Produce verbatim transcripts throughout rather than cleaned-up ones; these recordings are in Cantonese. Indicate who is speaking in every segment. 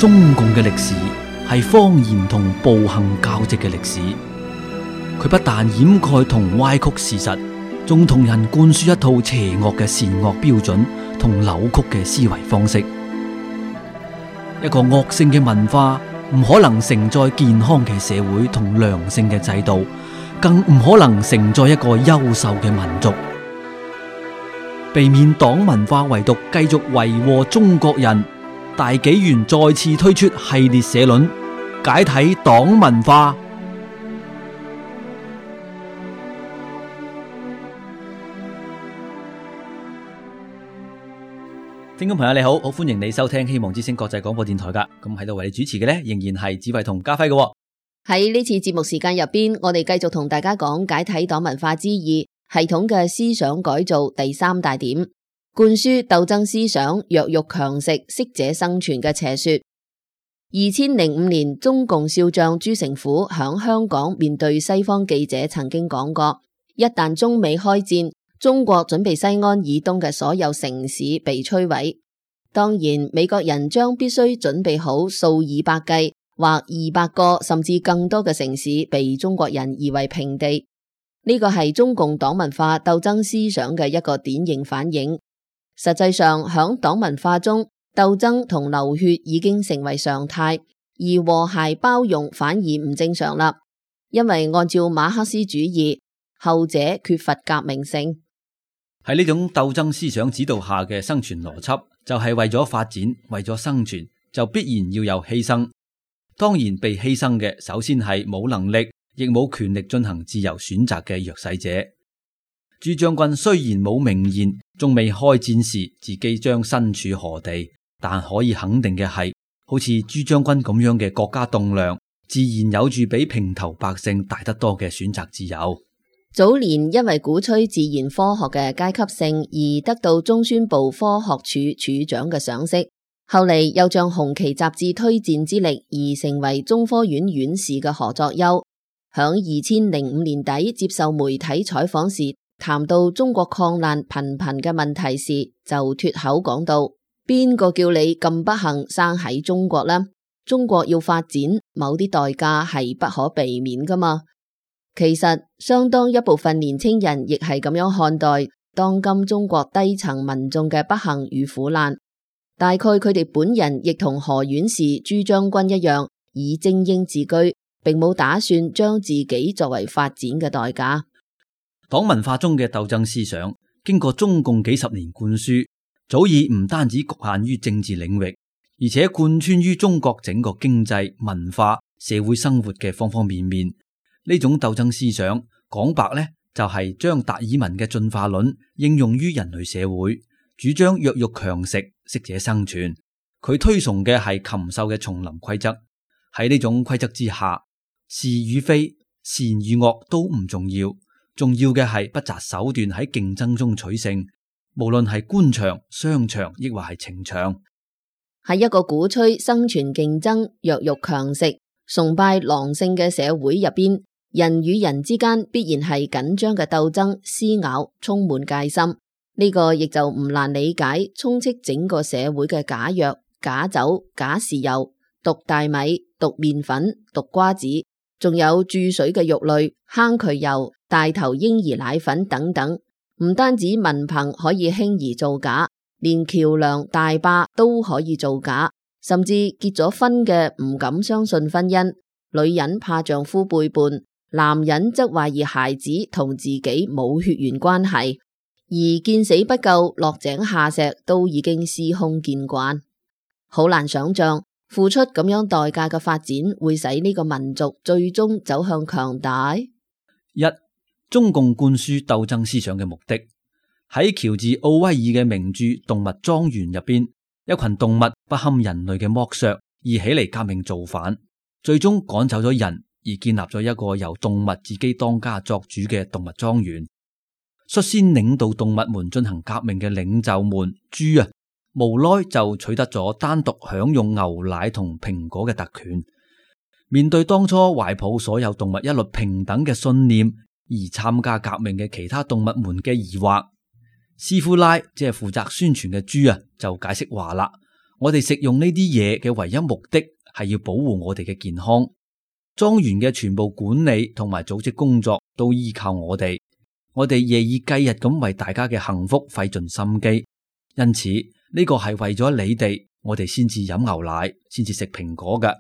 Speaker 1: 中共嘅歷史係謊言同暴行交織嘅歷史，佢不但掩蓋同歪曲事實，仲同人灌輸一套邪惡嘅善惡標準同扭曲嘅思維方式。一個惡性嘅文化唔可能承載健康嘅社會同良性嘅制度，更唔可能承載一個優秀嘅民族。避免黨文化遺毒繼續為禍中國人，大紀元再次推出系列社論，解體黨文化。聽眾朋友你好，好歡迎你收聽希望之聲國際廣播電台噶，咁喺度為你主持嘅呢，仍然係子慧同家輝嘅。
Speaker 2: 喺呢次節目時間入邊，我哋繼續同大家講解體黨文化之二，系統嘅思想改造第三大點，灌輸鬥爭思想、弱肉強食、適者生存嘅邪說。二千零五年，中共少將朱成虎響香港面對西方記者曾經講過，一旦中美開戰，中國準備西安以東嘅所有城市被摧毀。當然，美國人將必須準備好數以百計或二百個甚至更多嘅城市被中國人夷為平地。呢個係中共黨文化鬥爭思想嘅一個典型反映。實際上，響黨文化中，鬥爭同流血已經成為常態，而和諧包容反而唔正常啦。因為按照馬克思主義，後者缺乏革命性。
Speaker 1: 喺呢種鬥爭思想指導下嘅生存邏輯，就係為咗發展，為咗生存，就必然要有犧牲。當然，被犧牲嘅首先係冇能力，亦冇權力進行自由選擇嘅弱勢者。朱將軍雖然冇明言，仲未開戰時自己將身處何地，但可以肯定嘅係，好似朱將軍咁樣嘅國家棟樑，自然有住比平頭百姓大得多嘅選擇自由。
Speaker 2: 早年因為鼓吹自然科學嘅階級性而得到中宣部科學處處長嘅賞識，後嚟又將紅旗雜誌推薦之力而成為中科院院士嘅何作優，響二千零五年底接受媒體採訪時，談到中國抗難頻頻嘅問題時，就脫口講到：邊個叫你咁不幸生喺中國呢？中國要發展，某啲代價係不可避免噶嘛。其實相當一部分年輕人亦係咁樣看待當今中國低層民眾嘅不幸與苦難。大概佢哋本人亦同何院士、朱將軍一樣，以精英自居，並冇打算將自己作為發展嘅代價。
Speaker 1: 黨文化中嘅鬥爭思想，經過中共幾十年灌輸，早已唔單止局限於政治領域，而且貫穿於中國整個經濟、文化、社會生活嘅方方面面。呢種鬥爭思想講白呢，就係將達爾文嘅進化論應用於人類社會，主張弱肉強食、適者生存。佢推崇嘅係禽獸嘅叢林規則。喺呢種規則之下，是與非、善與惡都唔重要，重要嘅係不擇手段喺競爭中取勝，無論係官場、商場，抑或係情場。
Speaker 2: 喺一個鼓吹生存競爭、弱肉強食、崇拜狼性嘅社會入邊，人與人之間必然係緊張嘅鬥爭、撕咬，充滿戒心。呢個亦就唔難理解，充斥整個社會嘅假藥、假酒、假豉油、毒大米、毒麵粉、毒瓜子，仲有注水嘅肉類、坑渠油、大頭嬰兒奶粉等等。唔單止文憑可以輕易造假，連橋樑大壩都可以造假，甚至結咗婚嘅唔敢相信婚姻，女人怕丈夫背叛，男人則懷疑孩子同自己冇血緣關係，而見死不救、落井下石都已經司空見慣。好難想象付出咁樣代價嘅發展會使呢個民族最終走向強大。
Speaker 1: 一、中共灌輸鬥爭思想嘅目的，喺喬治奧威爾嘅名著《動物莊園》入邊，一群動物不堪人類嘅剝削而起嚟革命造反，最終趕走咗人，而建立咗一個由動物自己當家作主嘅動物莊園。率先領導動物們進行革命嘅領袖們豬啊，無奈就取得咗單獨享用牛奶同蘋果嘅特權。面對當初懷抱所有動物一律平等嘅信念而參加革命嘅其他動物們嘅疑惑，斯夫拉即係負責宣傳嘅豬啊，就解釋話啦：我哋食用呢啲嘢嘅唯一目的係要保護我哋嘅健康。莊園嘅全部管理同埋組織工作都依靠我哋，我哋夜以繼日咁為大家嘅幸福費盡心機。因此呢個係為咗你哋，我哋先至飲牛奶，先至食蘋果㗎。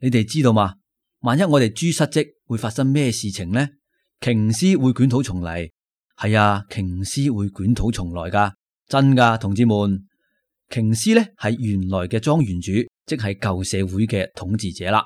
Speaker 1: 你哋知道嗎？萬一我哋豬失職，會發生咩事情呢？瓊斯會捲土重嚟。係啊，瓊斯會捲土重來噶，真噶，同志們。瓊斯呢係原來嘅莊園主，即係舊社會嘅統治者啦。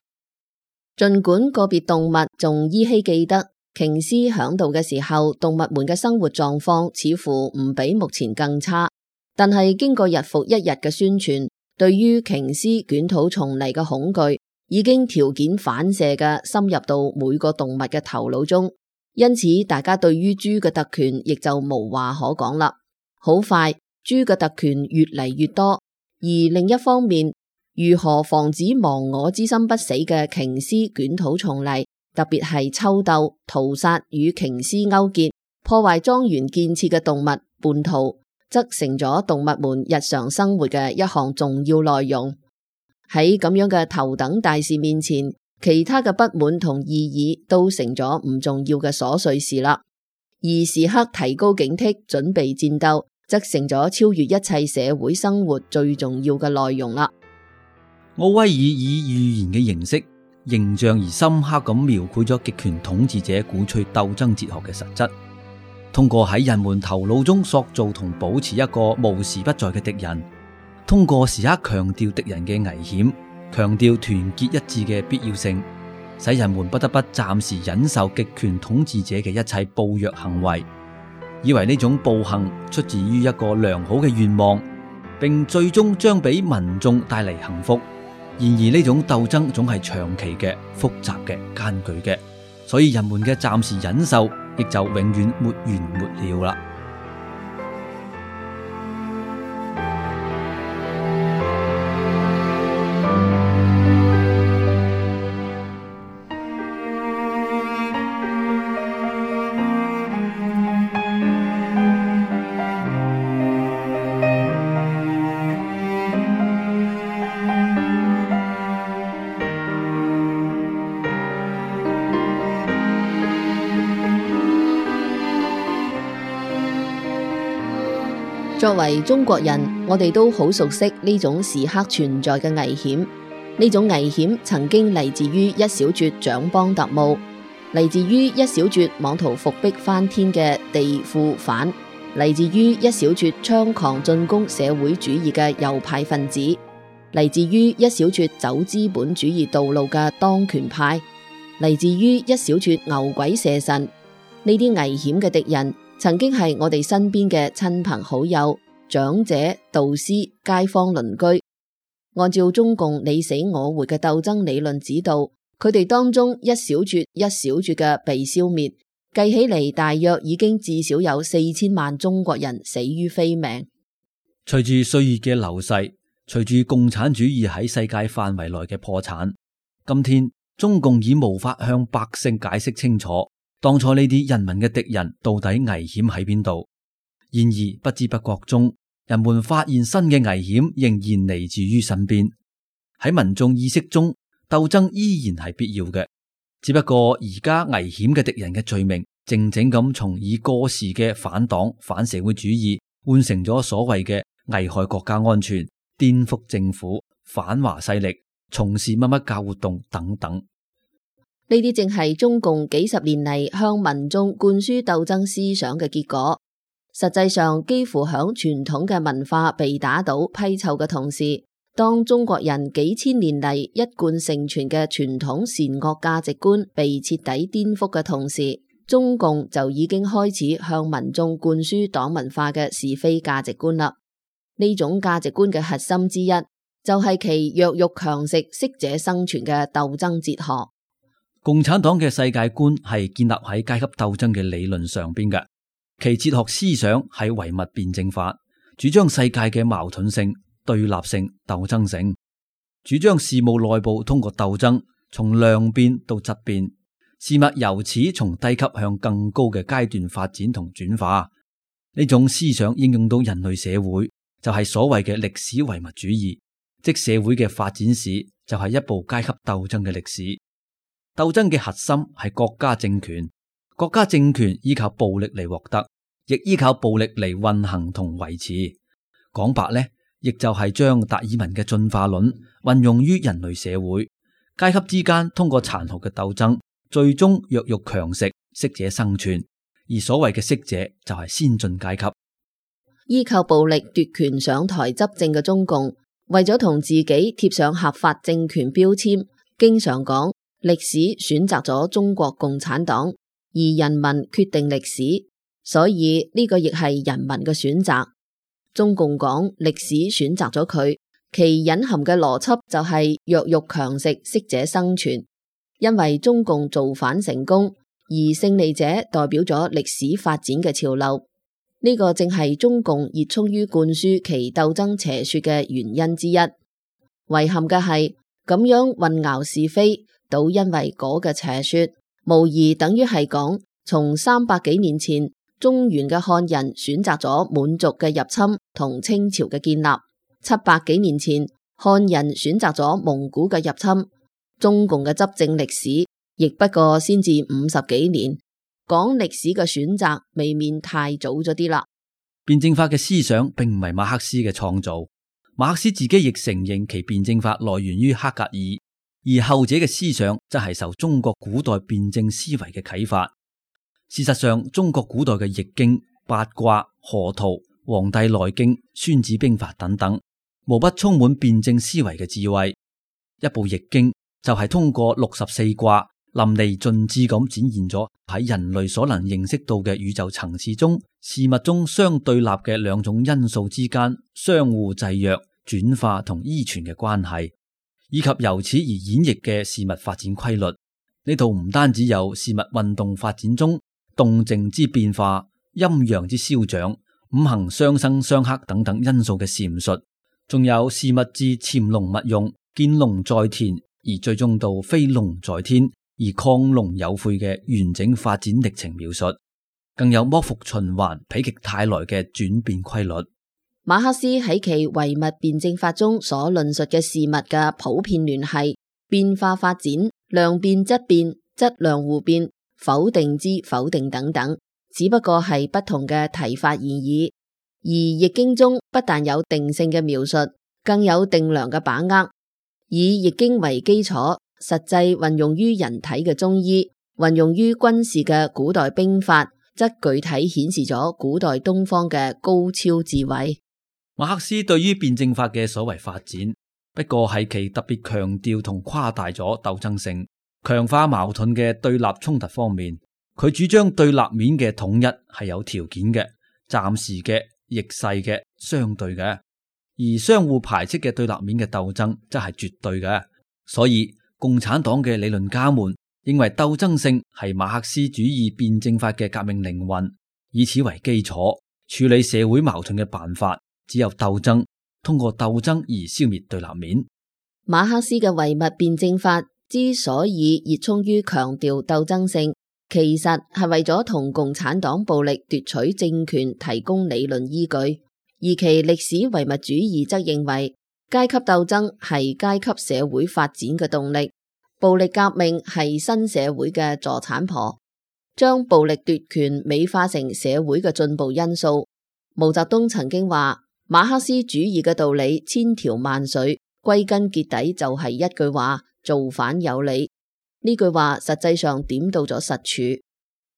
Speaker 2: 盡管個別動物仲依稀記得瓊斯響度嘅時候，動物們嘅生活狀況似乎唔比目前更差，但係經過日復一日嘅宣傳，對於瓊斯捲土重嚟嘅恐懼已經條件反射嘅深入到每個動物嘅頭腦中，因此大家對於豬嘅特權亦就無話可講啦。好快，豬嘅特權越嚟越多，而另一方面，如何防止亡我之心不死嘅瓊斯捲土重嚟，特別係抽鬥、屠殺與瓊斯勾結、破壞莊園建設嘅動物叛徒，則成咗動物們日常生活嘅一項重要內容。喺咁樣嘅頭等大事面前，其他嘅不滿同異議都成咗唔重要嘅瑣碎事啦。而時刻提高警惕、準備戰鬥，則成咗超越一切社會生活最重要嘅內容啦。
Speaker 1: 奧威爾以寓言嘅形式，形象而深刻咁描繪咗極權統治者鼓吹鬥爭哲學嘅實質。通過喺人們頭腦中塑造同保持一個無時不在嘅敵人，通過時刻強調敵人嘅危險，強調團結一致嘅必要性，使人們不得不暫時忍受極權統治者嘅一切暴虐行為，以為呢種暴行出自於一個良好嘅願望，並最終將俾民眾帶嚟幸福。然而呢種鬥爭總係長期嘅、複雜嘅、艱巨嘅，所以人們嘅暫時忍受亦就永遠沒完沒了啦。
Speaker 2: 作為中國人，我哋都好熟悉呢種時刻存在嘅危險。呢種危險曾經嚟自於一小撮蔣幫特務，嚟自於一小撮妄圖復辟翻天嘅地富反，嚟自於一小撮猖狂進攻社會主義嘅右派分子，嚟自於一小撮走資本主義道路嘅當權派，嚟自於一小撮牛鬼蛇神。呢啲危險嘅敵人曾經係我哋身邊嘅親朋好友、長者、導師、街坊鄰居。按照中共你死我活嘅鬥爭理論指導，佢哋當中一小撮一小撮嘅被消滅，計起嚟大約已經至少有四千萬中國人死於非命。
Speaker 1: 隨住歲月嘅流逝，隨住共產主義喺世界範圍內嘅破產，今天中共已無法向百姓解釋清楚當初呢啲人民嘅敵人到底危險喺邊度。然而不知不覺中，人們發現新嘅危險仍然嚟自於身邊。喺民眾意識中，鬥爭依然係必要嘅，只不過而家危險嘅敵人嘅罪名靜靜咁從已過時嘅反黨反社會主義換成咗所謂嘅危害國家安全、顛覆政府、反華勢力、從事乜乜教活動等等。
Speaker 2: 呢啲正係中共幾十年嚟向民眾灌輸鬥爭思想嘅結果。實際上，幾乎響傳統嘅文化被打倒批臭嘅同時，當中國人幾千年嚟一貫承傳嘅傳統善惡價值觀被徹底顛覆嘅同時，中共就已經開始向民眾灌輸黨文化嘅是非價值觀啦。呢種價值觀嘅核心之一，就係其弱肉強食、適者生存嘅鬥爭哲學。
Speaker 1: 共產黨嘅世界觀係建立喺階級鬥爭嘅理論上邊嘅，其哲學思想係唯物辯證法，主張世界嘅矛盾性、對立性、鬥爭性，主張事務內部通過鬥爭從量變到質變，事物由此從低級向更高嘅階段發展同轉化。呢種思想應用到人類社會，就係所謂嘅歷史唯物主義，即社會嘅發展史就係一部階級鬥爭嘅歷史。鬥爭嘅核心係國家政權，國家政權依靠暴力嚟獲得，亦依靠暴力嚟運行同維持。講白呢，亦就係將達爾文嘅進化論運用於人類社會，階級之間通過殘酷嘅鬥爭，最終弱肉強食，適者生存。而所謂嘅適者就係先進階級。
Speaker 2: 依靠暴力奪權上台執政嘅中共，為咗同自己貼上合法政權標籤，經常講歷史選擇咗中國共產黨，而人民決定歷史，所以呢個亦係人民嘅選擇。中共講歷史選擇咗佢，其隱含嘅邏輯就係弱肉強食，適者生存。因為中共造反成功，而勝利者代表咗歷史發展嘅潮流。呢個正係中共熱衷於灌輸其鬥爭邪說嘅原因之一。遺憾嘅係咁樣混淆是非，倒因為嗰個邪說，無疑等於係講從三百幾年前中原嘅漢人選擇咗滿族嘅入侵同清朝嘅建立，七百幾年前漢人選擇咗蒙古嘅入侵，中共嘅執政歷史亦不過先至五十幾年。講歷史嘅選擇未免太早咗啲啦。
Speaker 1: 辯證法嘅思想並唔係馬克思嘅創造，馬克思自己亦承認其辯證法來源於黑格爾，而後者嘅思想則係受中國古代辯證思維嘅啟發。事實上，中國古代嘅易經、八卦、河圖、黃帝內經、孫子兵法等等，無不充滿辯證思維嘅智慧。一部易經就係通過六十四卦淋漓盡致咁展現咗喺人類所能認識到嘅宇宙層次中事物中相對立嘅兩種因素之間相互制約、轉化同依存嘅關係，以及由此而演繹嘅事物發展規律。呢度唔單止有事物運動發展中動靜之變化、陰陽之消長、五行相生相克等等因素嘅闡述，仲有事物之潛龍勿用、見龍在田而最終到飛龍在天而亢龍有悔嘅完整發展歷程描述，更有剝伏循環、否極泰來嘅轉變規律。
Speaker 2: 馬克思喺其唯物辯證法中所論述嘅事物嘅普遍聯繫、變化發展、量變質變、質量互變、否定之否定等等，只不過係不同嘅提法而已。而易經中不但有定性嘅描述，更有定量嘅把握。以易經為基礎，實際運用於人體嘅中醫，運用於軍事嘅古代兵法，則具體顯示咗古代東方嘅高超智慧。
Speaker 1: 馬克思對於辯證法嘅所謂發展，不過係其特別強調同誇大咗鬥爭性、強化矛盾嘅對立衝突方面。佢主張對立面嘅統一係有條件嘅、暫時嘅、逆勢嘅、相對嘅，而相互排斥嘅對立面嘅鬥爭則係絕對嘅。所以共產黨嘅理論家們認為鬥爭性係馬克思主義辯證法嘅革命靈魂，以此為基礎處理社會矛盾嘅辦法只有鬥爭，通過鬥爭而消滅對立面。
Speaker 2: 馬克思嘅唯物辯證法之所以熱衷於強調鬥爭性，其實係為咗同共產黨暴力奪取政權提供理論依據，而其歷史唯物主義則認為階級鬥爭係階級社會發展嘅動力，暴力革命係新社會嘅助產婆，將暴力奪權美化成社會嘅進步因素。毛澤東曾經話，馬克思主義嘅道理千條萬緒，歸根結底就係一句話：造反有理。呢句話實際上點到咗實處。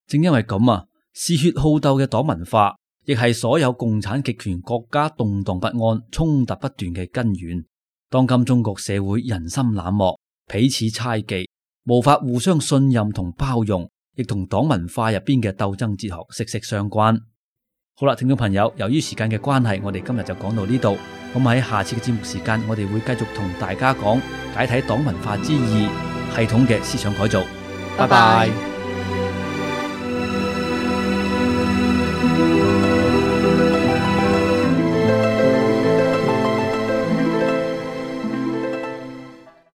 Speaker 1: 正因為咁啊，嗜血好鬥嘅黨文化，亦係所有共產極權國家動盪不安、衝突不斷嘅根源。當今中國社會人心冷漠、彼此猜忌，無法互相信任同包容，亦同黨文化入邊嘅鬥爭哲學息息相關。好啦，聽眾朋友，由於時間嘅關係，我哋今日就講到呢度。咁喺下次嘅節目時間，我哋會繼續同大家講解體黨文化之二，系統嘅思想改造。拜拜。